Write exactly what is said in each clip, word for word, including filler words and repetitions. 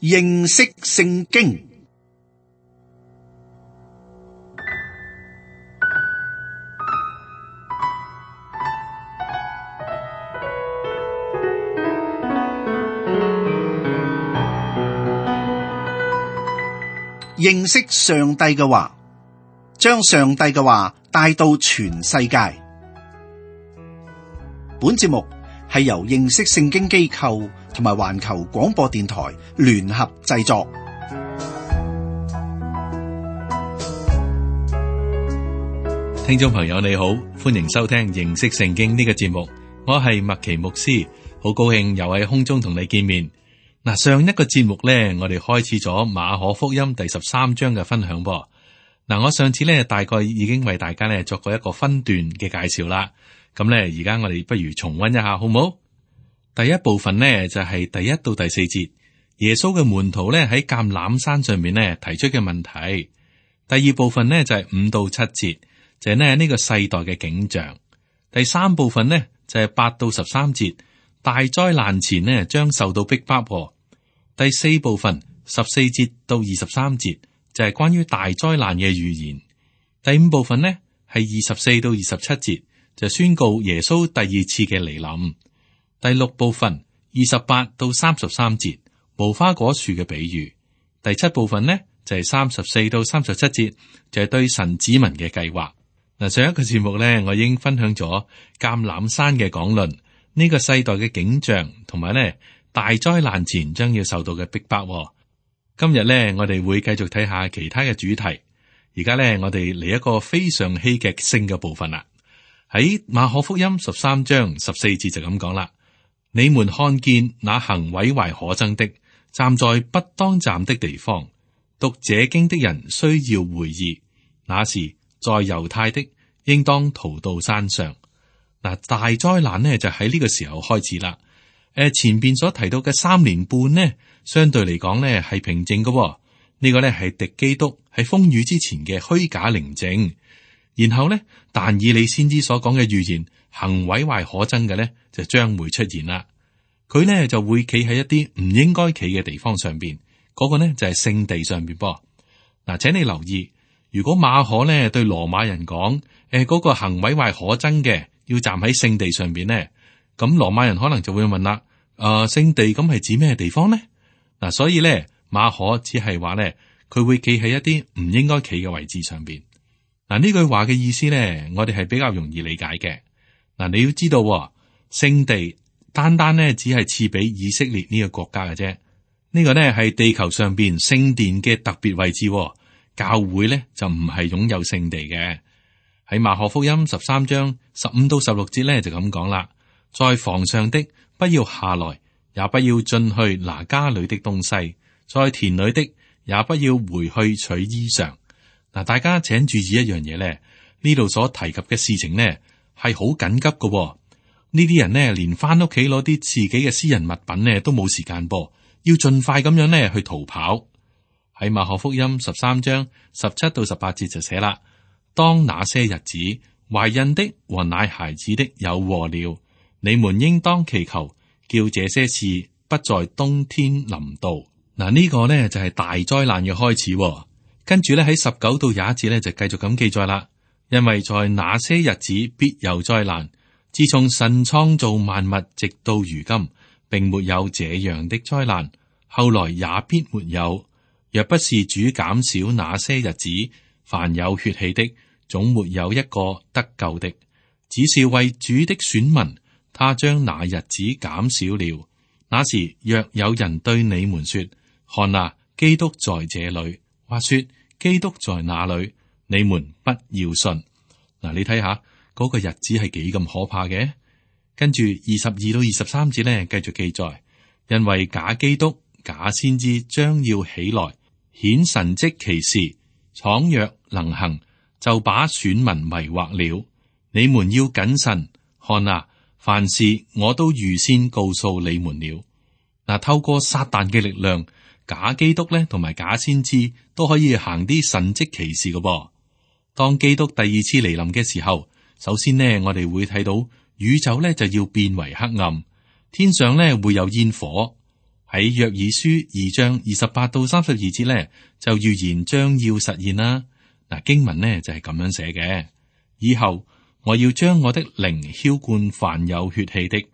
認識聖經。認識上帝嘅話，將上帝嘅話帶到全世界。本節目係由認識聖經機構同埋環球廣播電台聯合製作。聽眾朋友你好，歡迎收聽認識聖經呢個節目，我係麥奇牧師，好高興又喺空中同你見面。嗱，上一個節目咧，我哋開始咗馬可福音第十三章嘅分享噃。嗱，我上次咧大概已經為大家咧作過一個分段嘅介紹啦。咁咧，而家我哋不如重溫一下，好唔好？第一部分呢，就係第一到第四節，耶穌嘅門徒咧喺橄欖山上面咧提出嘅問題。第二部分呢，就係五到七節，就係咧呢個世代嘅景象。第三部分呢，就係八到十三節。大災難前呢，將受到逼迫。第四部分十四節到二十三節就係關於大災難嘅預言。第五部分呢係二十四到二十七節就宣告耶穌第二次嘅嚟臨。第六部分二十八到三十三節無花果樹嘅比喻。第七部分呢就係三十四到三十七節就係對神子民嘅計劃。嗱，上一個節目呢，我已經分享咗橄欖山嘅講論。呢個世代嘅景象，同埋咧大災難前將要受到嘅逼迫。今日咧，我哋會繼續睇下其他嘅主題。而家咧，我哋嚟一個非常戲劇性嘅部分啦。喺馬可福音十三章十四節就咁講啦：你們看見那行毀壞可憎的，站在不當站的地方，讀這經的人需要回憶，那時在猶太的，應當逃到山上。嗱，大災難呢就喺呢個時候開始啦。誒，前邊所提到嘅三年半呢，相對嚟講呢係平靜嘅。呢、這個呢係敵基督喺風雨之前嘅虛假寧靜。然後呢，但以理先知所講嘅預言，行毀壞可憎嘅呢，就將會出現啦。佢呢就會企喺一啲唔應該企嘅地方上邊，嗰、那個呢就係聖地上邊噃。嗱，請你留意，如果馬可呢對羅馬人講，誒、那、嗰個行毀壞可憎嘅，要站喺聖地上邊呢，咁羅馬人可能就會問啦：誒、呃，聖地咁係指咩地方呢？嗱，所以咧馬可只係話咧，佢會企喺一啲唔應該企嘅位置上邊。嗱，呢句話嘅意思咧，我哋係比較容易理解嘅。嗱，你要知道，聖地單單咧只係賜俾以色列呢個國家嘅啫。呢個咧係地球上邊聖殿嘅特別位置，教會咧就唔係擁有聖地嘅。喺馬可福音十三章十五到十六節咧就咁講啦，在房上的不要下來，也不要進去拿家裏的東西；在田裏的也不要回去取衣裳。嗱，大家請注意一樣嘢咧，呢度所提及嘅事情呢係好緊急嘅、哦。呢啲人呢連翻屋企攞啲自己嘅私人物品呢都冇時間噃，要盡快咁樣呢去逃跑。喺馬可福音十三章十七到十八節就寫啦。當那些日子，懷孕的和奶孩子的有禍了。你們應當祈求，叫這些事不在冬天臨到。嗱，呢個呢就係大災難嘅開始。跟住咧喺十九到廿一節咧就繼續咁記載啦。因為在那些日子必有災難，自從神創造萬物直到如今，並沒有這樣的災難，後來也必沒有。若不是主減少那些日子，凡有血氣的，總沒有一個得救的，只是為主的選民，他將那日子減少了。那時若有人對你們說：看啊，基督在這裏，或說基督在那裏，你們不要信。嗱，你睇下嗰個日子係幾咁可怕嘅。跟住二十二到二十三節呢，繼續記載，因為假基督、假先知將要起來，顯神蹟奇事，倘若能行，就把選民迷惑了。你們要謹慎，看啊，凡事我都預先告訴你們了。嗱，透過撒旦嘅力量，假基督咧同埋假先知都可以行啲神蹟奇事嘅噃。當基督第二次嚟臨嘅時候，首先呢，我哋會睇到宇宙咧就要變為黑暗，天上咧會有煙火。喺約珥書二章二十八到三十二節咧，就預言將要實現啦。嗱，經文呢就係咁樣寫嘅：以後我要將我的靈澆灌凡有血氣的，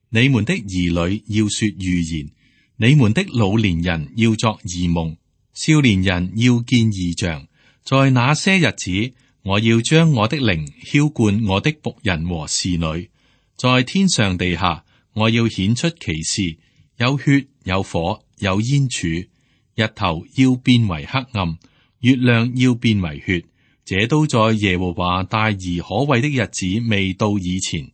你們的兒女要說預言，你們的老年人要作異夢，少年人要見異象。在那些日子，我要將我的靈澆灌我的僕人和侍女，在天上地下，我要顯出奇事，有血，有火，有煙柱，日頭要變為黑暗，月亮要變為血，這都在耶和華大而可畏的日子未到以前。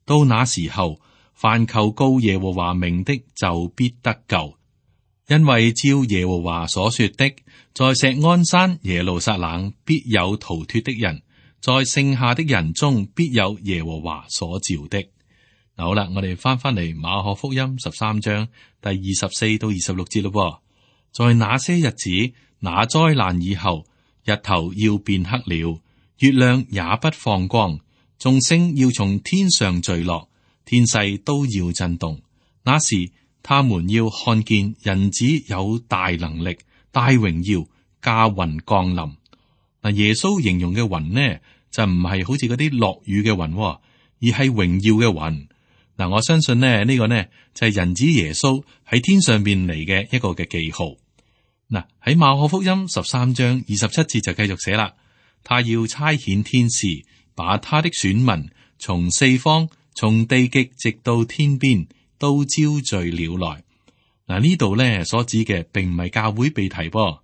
到那時候，凡求告耶和華名的就必得救，因為照耶和華所說的，在錫安山耶路撒冷必有逃脫的人，在剩下的人中必有耶和華所召的。好啦，我哋翻翻嚟馬可福音十三章第二十四到二十六節咯。在那些日子，那災難以後，日頭要變黑了，月亮也不放光，眾星要從天上墜落，天勢都要震動。那時，他們要看見人子有大能力、大榮耀，駕雲降臨。嗱，耶穌形容嘅雲呢，就唔係好似嗰啲落雨嘅雲，而係榮耀嘅雲。嗱，我相信呢呢個呢就係人子耶穌喺天上邊嚟嘅一個嘅記號。嗱，喺馬可福音十三章二十七節就繼續寫啦，他要差遣天使，把他的選民從四方、從地極直到天邊都招聚了來。嗱，呢度呢所指嘅並唔係教會被提噃，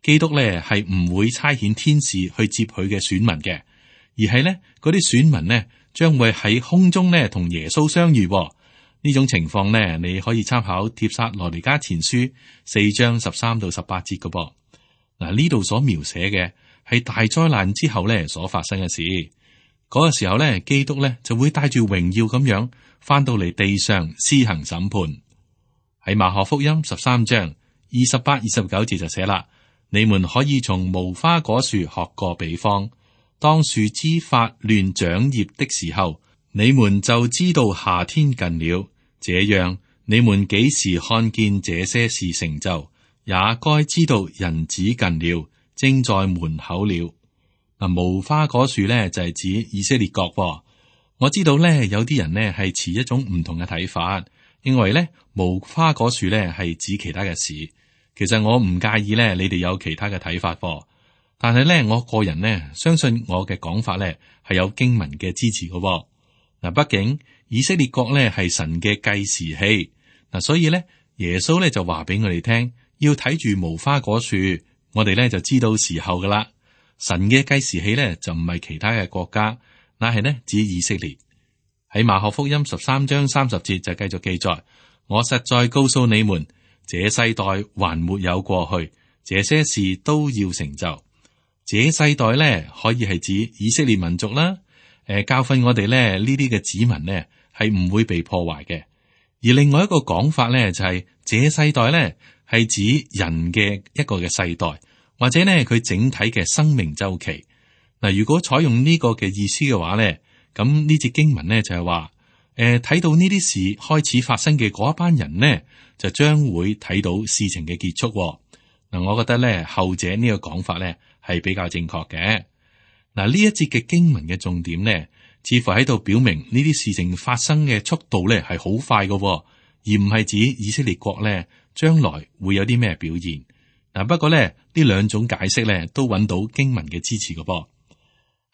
基督呢係唔會差遣天使去接佢嘅選民嘅，而係呢嗰啲選民呢將會喺空中呢同耶穌相遇。呢種情況呢，你可以參考帖撒羅尼迦前書四章十三到十八節嘅噃。嗱，呢度所描寫嘅係大災難之後呢所發生嘅事。嗰個時候呢，基督呢就會帶住榮耀咁樣翻到嚟地上施行審判。喺馬可福音十三章二十八、二十九節就寫啦：你們可以從無花果樹學個比方。當樹枝發亂長葉的時候，你們就知道夏天近了。這樣，你們幾時看見這些事成就，也該知道人子近了，正在門口了。嗱，無花果樹咧就係指以色列國。我知道咧有啲人呢係持一種唔同嘅睇法，認為咧無花果樹咧係指其他嘅事。其實我唔介意咧，你哋有其他嘅睇法。但係咧，我個人呢，相信我嘅講法咧係有經文嘅支持嘅。嗱，畢竟以色列國咧係神嘅計時器，嗱，所以咧耶穌咧就話俾我哋聽，要睇住無花果樹，我哋咧就知道時候噶啦。神嘅計時器咧就唔係其他嘅國家，乃係呢指以色列。喺馬可福音十三章三十節就繼續記載：我實在告訴你們，這世代還沒有過去，這些事都要成就。這世代咧可以係指以色列民族啦，誒、呃、教訓我哋咧呢啲嘅子民呢係唔會被破壞嘅。而另外一個講法咧就係、是、這世代咧係指人嘅一個嘅世代，或者呢佢整體嘅生命周期。嗱，如果採用呢個嘅意思嘅話咧，咁呢節經文咧就係話，誒、呃、睇到呢啲事開始發生嘅嗰一班人呢，就將會睇到事情嘅結束。嗱，我覺得咧後者呢個講法咧係比較正確嘅。嗱，呢一節嘅經文嘅重點呢，似乎喺度表明呢啲事情發生嘅速度咧係好快嘅，而唔係指以色列國咧將來會有啲咩表現。嗱，不過咧呢兩種解釋咧都揾到經文嘅支持嘅噃。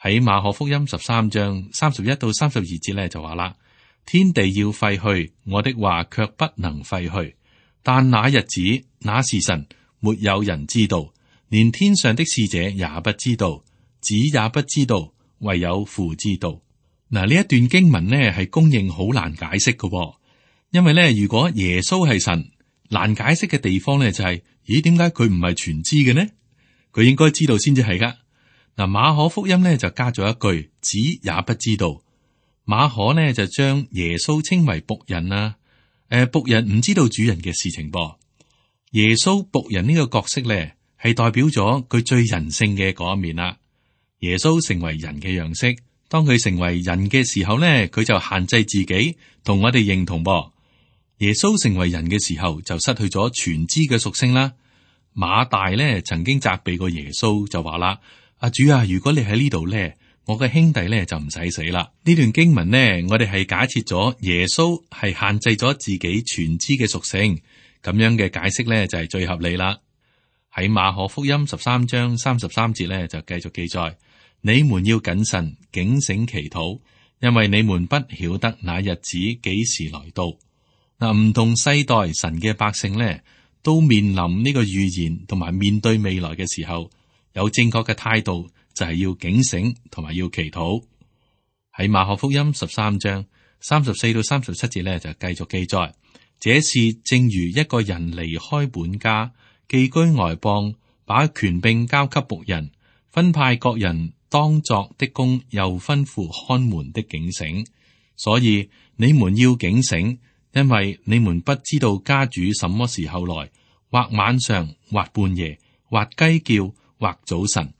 喺馬可福音十三章三十一到三十二節咧就話啦：天地要廢去，我的話卻不能廢去。但那日子、那時辰，沒有人知道，連天上的使者也不知道，子也不知道，唯有父知道。嗱，呢一段經文呢係公認好難解釋嘅，因為咧如果耶穌係神，難解釋嘅地方咧就係、是，咦，點解佢唔係全知嘅呢？佢應該知道先至係噶。嗱，馬可福音咧就加咗一句，子也不知道。馬可呢就將耶穌稱為僕人啊，誒，僕人唔知道主人嘅事情噃。耶穌僕人呢個角色咧，係代表咗佢最人性嘅嗰一面啦。耶穌成為人嘅樣式，當佢成為人嘅時候咧，佢就限制自己同我哋認同噃。耶穌成為人嘅時候就失去咗全知嘅屬性啦。馬大咧曾經責備過耶穌，就話啦：阿主啊，如果你喺呢度咧，我嘅兄弟咧就唔使死啦。呢段經文呢，我哋係假設咗耶穌係限制咗自己全知嘅屬性，咁樣嘅解釋咧就係最合理啦。喺馬可福音十三章三十三節咧就繼續記載：你們要謹慎警醒祈禱，因為你們不曉得那日子幾時來到。嗱，唔同世代神嘅百姓咧，都面臨呢個預言同埋面對未來嘅時候，有正確嘅態度就係要警醒同埋要祈禱。喺馬可福音十三章三十四到三十七節咧就繼續記載：這事正如一個人離開本家，寄居外邦，把權柄交給僕人，分派各人當作的工，又吩咐看門的警醒。所以你們要警醒，因為你們不知道家主什麼時候來，或晚上，或半夜，或雞叫，或早晨，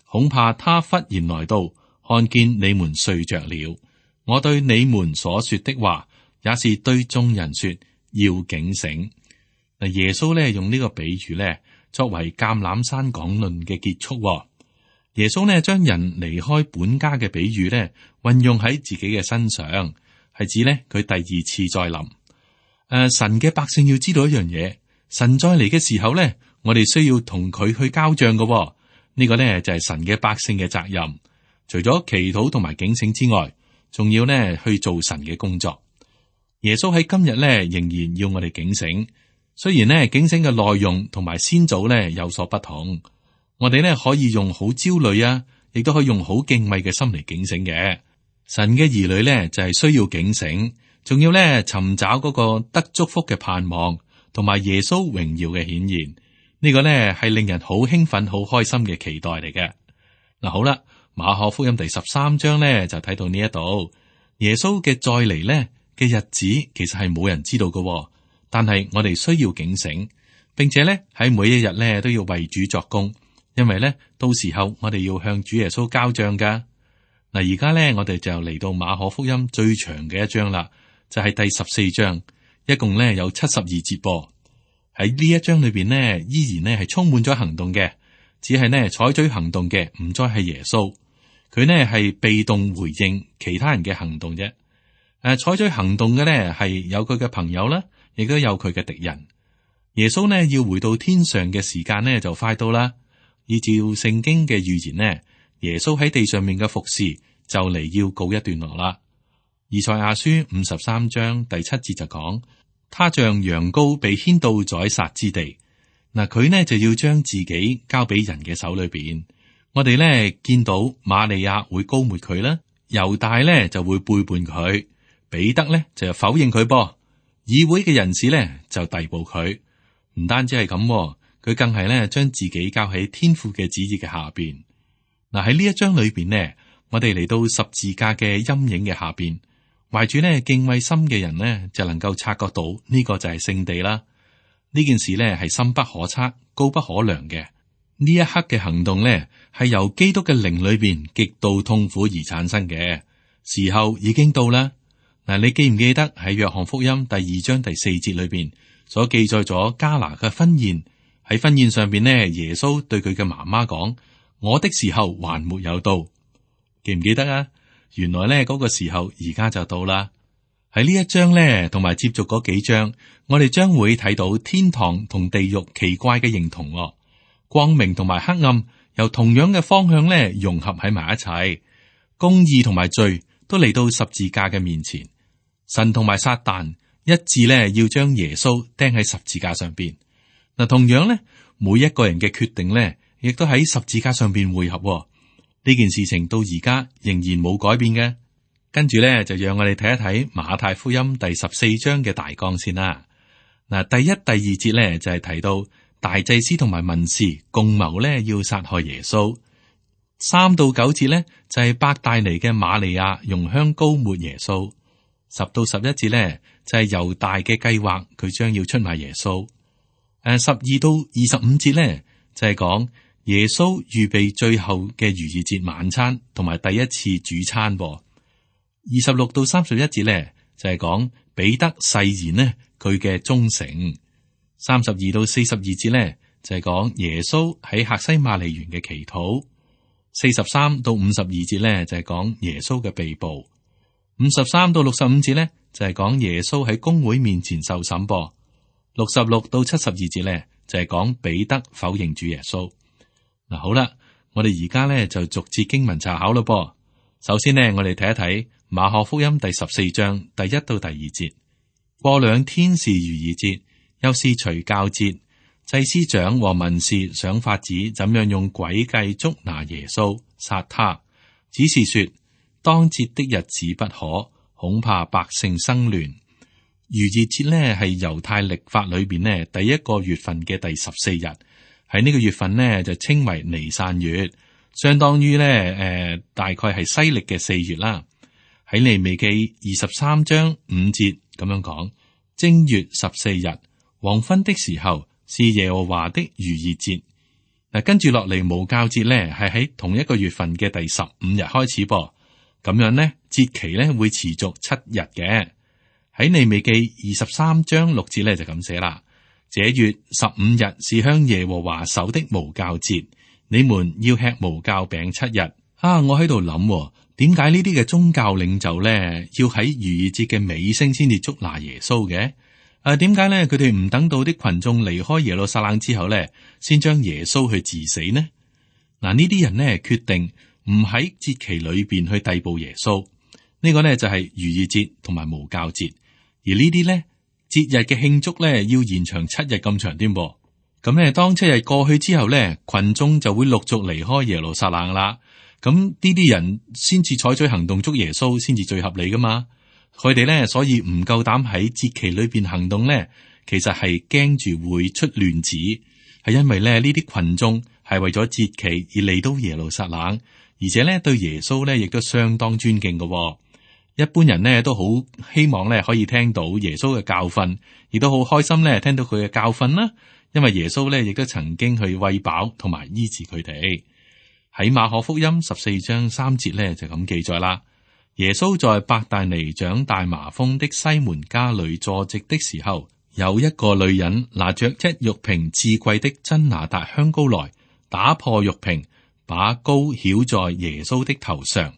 恐怕他忽然來到，看見你們睡着了。我對你們所說的話，也是對眾人說，要警醒。嗱，耶穌咧用呢個比喻咧，作為橄欖山講論嘅結束。耶穌咧將人離開本家嘅比喻咧，運用喺自己嘅身上，係指咧佢第二次再臨。誒、呃，神嘅百姓要知道一樣嘢，神再嚟嘅時候咧，我哋需要同佢去交賬嘅、哦。呢、這個咧就係、是、神嘅百姓嘅責任。除咗祈禱同埋警醒之外，仲要咧去做神嘅工作。耶穌喺今日咧仍然要我哋警醒，雖然咧警醒嘅內容同埋先祖咧有所不同。我哋咧可以用好焦慮啊，亦都可以用好敬畏嘅心嚟警醒嘅。神嘅兒女咧就係、是、需要警醒。仲要咧尋找嗰個得祝福嘅盼望，同埋耶穌榮耀嘅顯現，呢個咧係令人好興奮、好開心嘅期待嚟嘅。嗱，好啦，馬可福音第十三章咧就睇到呢一度，耶穌嘅再嚟咧嘅日子其實係冇人知道嘅，但係我哋需要警醒，並且咧喺每一日咧都要為主作工，因為咧到時候我哋要向主耶穌交賬噶。嗱，而家咧我哋就嚟到馬可福音最長嘅一章啦。就係第十四章，一共咧有七十二節噃。喺呢一章裏邊呢，依然呢係充滿咗行動嘅，只係呢採取行動嘅唔再係耶穌，佢呢係被動回應其他人嘅行動啫。誒、啊，採取行動嘅呢係有佢嘅朋友啦，亦都有佢嘅敵人。耶穌呢要回到天上嘅時間呢就快到啦。依照聖經嘅預言呢，耶穌喺地上面嘅服侍就嚟要告一段落啦。以賽亞書五十三章第七節就講，他像羊羔被牽到宰殺之地。嗱，佢呢就要將自己交俾人嘅手裏邊。我哋呢見到瑪利亞會膏抹佢啦，猶大呢就會背叛佢，彼得呢就否認佢噃，議會嘅人士呢就逮捕佢。唔單止係咁，佢更係呢將自己交喺天父嘅旨意嘅下邊。嗱，喺呢一章裏邊呢，我哋嚟到十字架嘅陰影嘅下邊。懷住呢敬畏心嘅人呢，就能夠察覺到呢個就係聖地啦。呢件事呢係深不可測、高不可量嘅。呢一刻嘅行動呢，係由基督嘅靈裏邊極度痛苦而產生嘅。時候已經到啦。嗱，你記唔記得喺約翰福音第二章第四節裏邊所記載咗迦拿嘅婚宴？喺婚宴上邊呢，耶穌對佢嘅媽媽講：我的時候還沒有到。記唔記得啊？原來咧嗰個時候而家就到啦。喺呢一章咧，同埋接續嗰幾章，我哋將會睇到天堂同地獄奇怪嘅認同，光明同埋黑暗由同樣嘅方向咧融合喺埋一齊，公義同埋罪都嚟到十字架嘅面前。神同埋撒旦一致咧要將耶穌釘喺十字架上邊。嗱，同樣咧，每一個人嘅決定咧，亦都喺十字架上邊匯合。呢件事情到而家仍然冇改變嘅。跟住咧就讓我哋睇一睇馬太福音第十四章嘅大綱先啦。嗱，第一、第二節咧就係、是、提到大祭司同埋文士共謀咧要殺害耶穌。三到九節咧就係、是、伯大尼嘅瑪利亞用香膏抹耶穌。十到十一節咧就係、是、猶大嘅計劃，佢將要出賣耶穌。誒，十二到二十五節咧就係、是、講。耶穌預備最後嘅逾越節晚餐，同埋第一次主餐。二十六到三十一節咧，就係講彼得誓言呢，佢嘅忠誠。三十二到四十二節呢，就係講耶穌喺客西馬尼園嘅祈禱。四十三到五十二節呢，就係講耶穌嘅被捕。五十三到六十五節呢，就係講耶穌喺公會面前受審噃。六十六到七十二節呢，就係講彼得否認主耶穌。嗱，好啦，我哋而家呢就逐節經文查考咯噃。首先呢，我哋睇一睇馬可福音第十四章第一到第二節。過兩天是逾越節，又是除酵節，祭司長和文士想法子怎樣用詭計捉拿耶穌，殺他，只是說當節的日子不可，恐怕百姓生亂。逾越節呢係猶太曆法裏邊呢第一個月份嘅第十四日，喺呢個月份呢就稱為尼散月，相當於呢誒、呃、大概係西曆嘅四月啦。喺利未記二十三章五節咁樣講，正月十四日黃昏的時候是耶和華的逾越節。嗱，跟住落嚟無酵節呢係喺同一個月份嘅第十五日開始噃，咁樣呢節期呢會持續七日嘅。喺利未記二十三章六節呢就咁寫啦，這月十五日是向耶和華守的無酵節，你們要吃無酵餅七日。啊，我喺度諗，點解呢啲嘅宗教領袖咧要喺逾越節嘅尾聲先至捉拿耶穌嘅？啊，點解咧佢哋唔等到啲群眾離開耶路撒冷之後咧，先將耶穌去治死呢？嗱，呢啲人呢決定唔喺節期裏邊去逮捕耶穌，呢個呢就係逾越節同埋無酵節，而呢啲咧節日嘅慶祝咧要延長七日咁長添噃。咁咧當七日過去之後咧，群眾就會陸續離開耶路撒冷啦。咁呢啲人先至採取行動捉耶穌，先至最合理噶嘛。佢哋咧所以唔夠膽喺節期裏邊行動咧，其實係驚住會出亂子，係因為咧呢啲群眾係為咗節期而嚟到耶路撒冷，而且咧對耶穌咧亦都相當尊敬嘅。一般人咧都好希望咧可以聽到耶穌嘅教訓，亦都好開心咧聽到佢嘅教訓啦。因為耶穌咧亦都曾經去餵飽同埋醫治佢哋。喺馬可福音十四章三節咧就咁記載啦。耶穌在伯大尼長大麻風的西門家裏坐席的時候，有一個女人拿着一玉瓶至貴的真拿達香膏來，打破玉瓶，把膏澆在耶穌的頭上。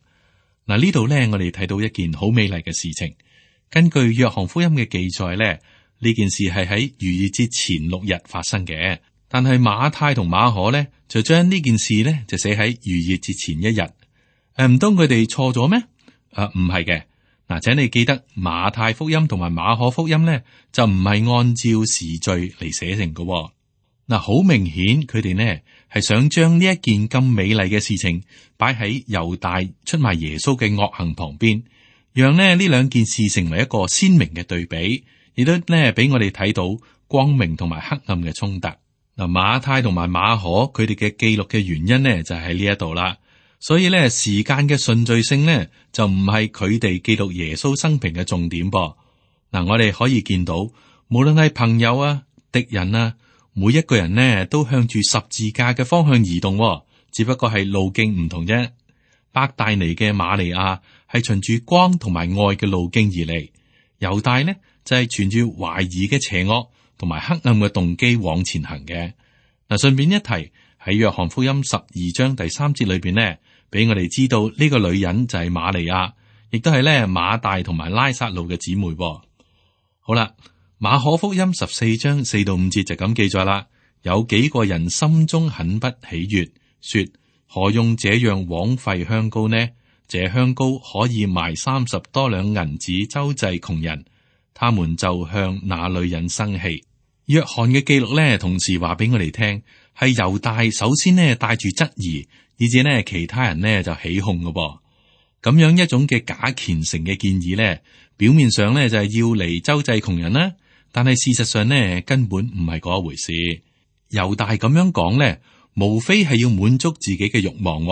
嗱，呢度咧我哋睇到一件好美麗嘅事情。根據約翰福音嘅記載咧，呢件事係喺逾越節前六日發生嘅。但係馬太同馬可咧就將呢件事咧就寫喺逾越節前一日。誒，唔通佢哋錯咗咩？誒，唔係嘅。嗱，請你記得馬太福音同埋馬可福音咧就唔係按照時序嚟寫成嘅。嗱，好明顯佢哋呢係想將呢一件咁美麗嘅事情擺喺猶大出賣耶穌嘅惡行旁邊，讓呢呢兩件事成為一個鮮明嘅對比，亦都呢俾我哋睇到光明同埋黑暗嘅衝突。嗱，馬太同埋馬可佢哋嘅記錄嘅原因呢，就喺呢一度啦。所以咧，時間嘅順序性呢，就唔係佢哋記錄耶穌生平嘅重點噃。嗱，我哋可以見到，無論係朋友啊、敵人啊，每一個人呢都向住十字架嘅方向移動，只不過係路徑唔同啫。伯大尼嘅瑪利亞係循住光同埋愛嘅路徑而嚟，猶大呢就係存住懷疑嘅邪惡同埋黑暗嘅動機往前行嘅。嗱，順便一提，喺約翰福音十二章第三節裏邊呢，俾我哋知道呢個女人就係瑪利亞，亦都係咧馬大同埋拉撒路嘅姊妹。好啦，馬可福音十四章四到五節就咁記載啦。有幾個人心中很不喜悅，說：何用這樣枉費香膏呢？這香膏可以賣三十多兩銀子周濟窮人。他們就向那女人生氣。約翰嘅記錄咧，同時話俾我哋聽，係猶大首先呢帶住質疑，以至呢其他人呢就起哄嘅噃。咁樣一種嘅假虔誠嘅建議咧，表面上咧就係要嚟周濟窮人啦，但係事實上呢根本唔係嗰一回事。猶大咁樣講咧，無非係要滿足自己嘅慾望。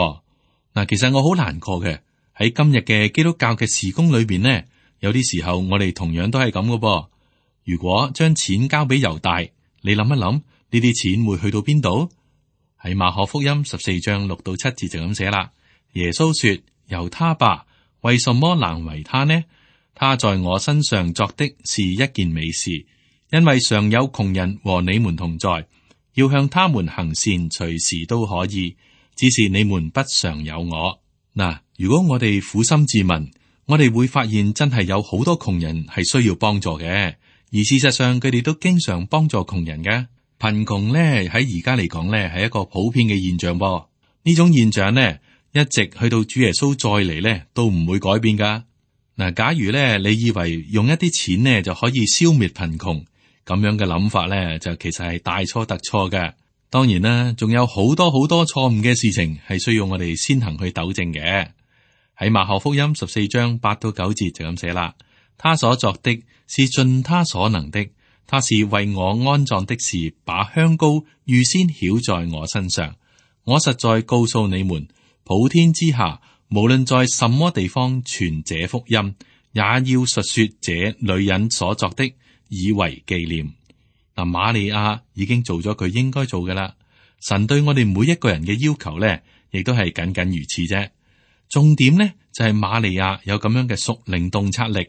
嗱，其實我好難過嘅，喺今日嘅基督教嘅事工裏邊呢，有啲時候我哋同樣都係咁嘅噃。如果將錢交俾猶大，你諗一諗，呢啲錢會去到邊度？喺馬可福音十四章六到七節就咁寫啦。耶穌說：由他吧，為什麼難為他呢？他在我身上作的是一件美事，因為常有窮人和你們同在，要向他們行善，隨時都可以，只是你們不常有我。嗱，如果我哋苦心自問，我哋會發現真係有好多窮人係需要幫助嘅，而事實上佢哋都經常幫助窮人嘅。貧窮咧喺而家嚟講咧係一個普遍嘅現象噃，呢種現象呢，一直去到主耶穌再嚟咧都唔會改變噶。嗱，假如咧你以為用一啲錢呢就可以消滅貧窮，咁樣嘅諗法咧就其實係大錯特錯嘅。當然啦，仲有好多好多錯誤嘅事情係需要我哋先行去糾正嘅。喺馬可福音十四章八到九節就咁寫啦，他所作的是盡他所能的，他是為我安葬的事，把香膏預先曉在我身上。我實在告訴你們，普天之下無論在什麼地方傳這福音，也要述說這女人所作的，以為紀念。嗱，瑪利亞已經做咗佢應該做嘅啦。神對我哋每一個人嘅要求咧，亦都係僅僅如此啫。重點咧就係瑪利亞有咁樣嘅屬靈洞察力，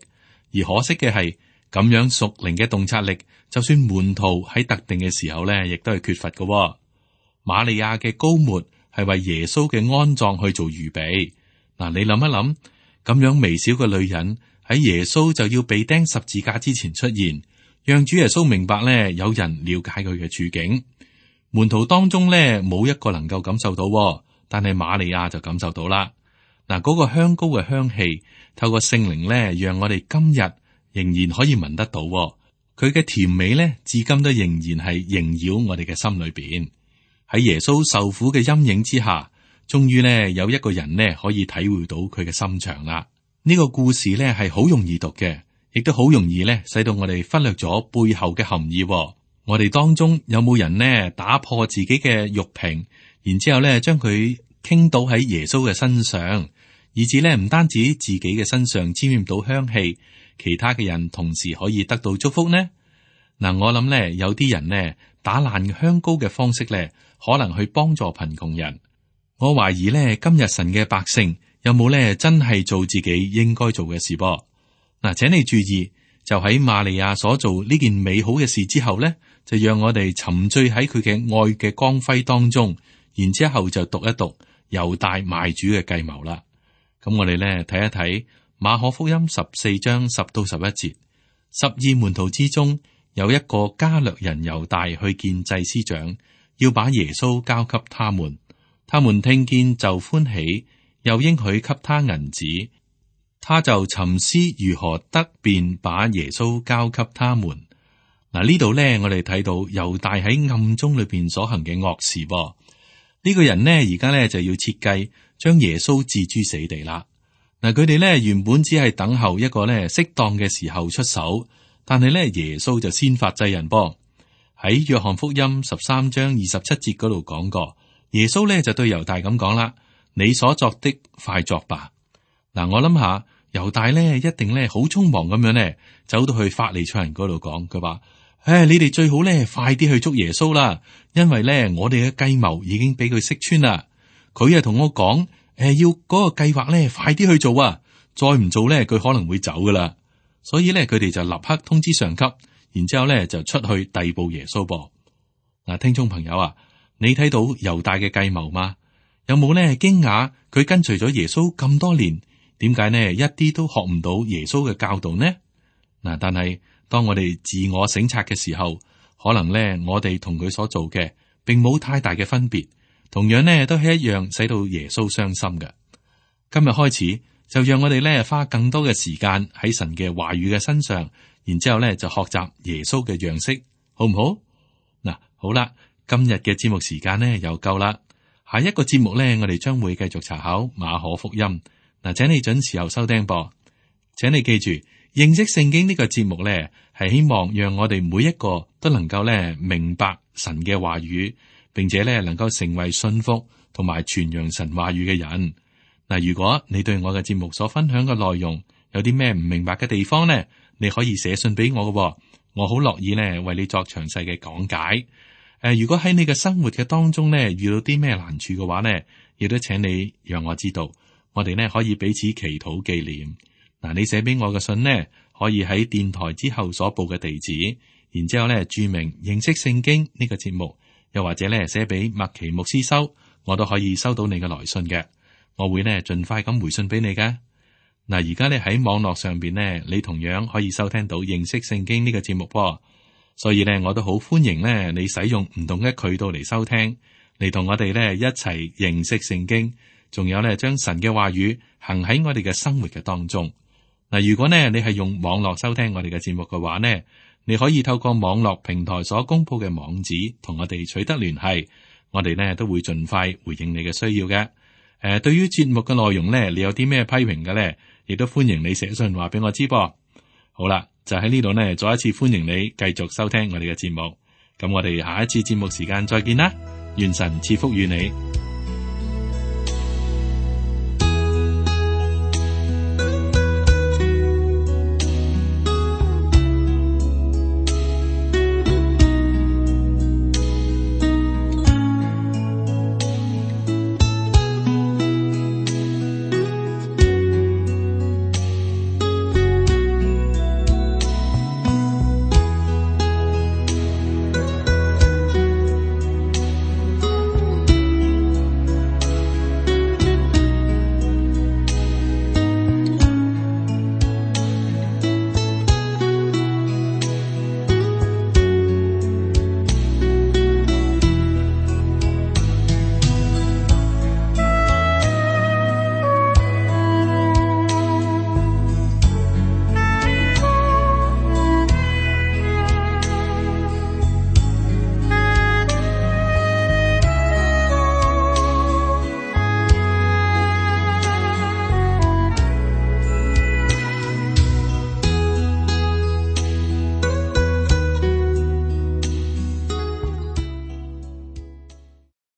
而可惜嘅係咁樣屬靈嘅洞察力，就算門徒喺特定嘅時候咧，亦都係缺乏嘅。瑪利亞嘅膏抹係為耶穌嘅安葬去做預備。嗱，你諗一諗，咁樣微小嘅女人喺耶穌就要被釘十字架之前出現，讓主耶穌明白咧，有人了解佢嘅處境。門徒當中咧，冇一個能夠感受到，但係瑪利亞就感受到啦。嗱，嗰個香膏嘅香氣，透過聖靈咧，讓我哋今日仍然可以聞得到。佢嘅甜美咧，至今都仍然係縈繞我哋嘅心裏邊。喺耶穌受苦嘅陰影之下，終於咧有一個人呢可以體會到佢嘅心腸啦。呢個故事咧係好容易讀嘅，亦都好容易咧使到我哋忽略咗背後嘅含義。我哋當中有冇人呢打破自己嘅玉瓶，然之後咧將佢傾倒喺耶穌嘅身上，以至咧唔單止自己嘅身上沾染到香氣，其他嘅人同時可以得到祝福呢？嗱，我諗咧有啲人呢打爛香膏嘅方式咧，可能去幫助貧窮人。我懷疑咧今日神嘅百姓有冇咧真係做自己應該做嘅事噃？嗱，請你注意，就喺瑪利亞所做呢件美好嘅事之後咧，就讓我哋沉醉喺佢嘅愛嘅光輝當中，然之後就讀一讀猶大賣主嘅計謀啦。咁我哋咧睇一睇馬可福音十四章十到十一節，十二門徒之中有一個加略人猶大去見祭司長，要把耶穌交給他們。他們聽見就歡喜，又應許給他銀子。他就沉思如何得便把耶穌交給他們。嗱，呢度咧，我哋睇到猶大喺暗中裏邊所行嘅惡事噃。呢、這個人呢，而家咧就要設計將耶穌置諸死地啦。嗱，佢哋咧原本只係等候一個咧適當嘅時候出手，但係咧耶穌就先發制人噃。喺約翰福音十三章二十七節嗰度講過。耶穌咧就對猶大咁講啦：你所作的快作吧。嗱，我諗下猶大咧一定咧好匆忙咁樣咧走到去法利賽人嗰度講，佢話：唉，你哋最好咧快啲去捉耶穌啦，因為咧我哋嘅計謀已經俾佢識穿啦。佢啊同我講：誒，要嗰個計劃咧快啲去做啊，再唔做咧佢可能會走噶啦。所以咧佢哋就立刻通知上級，然之後咧就出去逮捕耶穌噃。嗱，聽眾朋友啊。你睇到猶大嘅計謀嗎？有冇咧驚訝佢跟隨咗耶穌咁多年，點解呢一啲都學唔到耶穌嘅教導呢？嗱，但係當我哋自我省察嘅時候，可能咧我哋同佢所做嘅並冇太大嘅分別，同樣呢都係一樣使到耶穌傷心嘅。今日開始就讓我哋咧花更多嘅時間喺神嘅話語嘅身上，然之後咧就學習耶穌嘅樣式，好唔好？嗱，好啦。今日嘅節目時間呢又夠啦，下一個節目呢，我哋將會繼續查考馬可福音。嗱，請你準時候收聽噃。請你記住，認識聖經呢個節目呢，係希望讓我哋每一個都能夠呢明白神嘅話語，並且呢能夠成為信服同埋傳揚神話語嘅人。嗱，如果你對我嘅節目所分享嘅內容有啲咩唔明白嘅地方呢，你可以寫信俾我嘅，我好樂意呢為你作詳細嘅講解。誒、呃，如果喺你嘅生活嘅當中咧遇到啲咩難處嘅話咧，亦都請你讓我知道，我哋咧可以彼此祈禱紀念。嗱、呃，你寫俾我嘅信呢，可以喺電台之後所報嘅地址，然之後咧注明認識聖經呢個節目，又或者咧寫俾麥奇牧師收，我都可以收到你嘅來信嘅。我會呢盡快咁回信俾你噶。嗱，而家咧喺網絡上邊呢，你同樣可以收聽到認識聖經呢個節目噃。所以咧，我都好歡迎咧你使用唔同嘅渠道嚟收聽，嚟同我哋咧一齊認識聖經，仲有咧將神嘅話語行喺我哋嘅生活嘅當中。嗱，如果呢你係用網絡收聽我哋嘅節目嘅話呢，你可以透過網絡平台所公布嘅網址同我哋取得聯繫，我哋呢都會盡快回應你嘅需要嘅。誒、呃，對於節目嘅內容呢，你有啲咩批評嘅呢？亦都歡迎你寫信話俾我知噃。好啦，就喺呢度呢，再一次歡迎你繼續收聽我哋嘅節目。咁我哋下一次節目時間再見啦，願神賜福於你。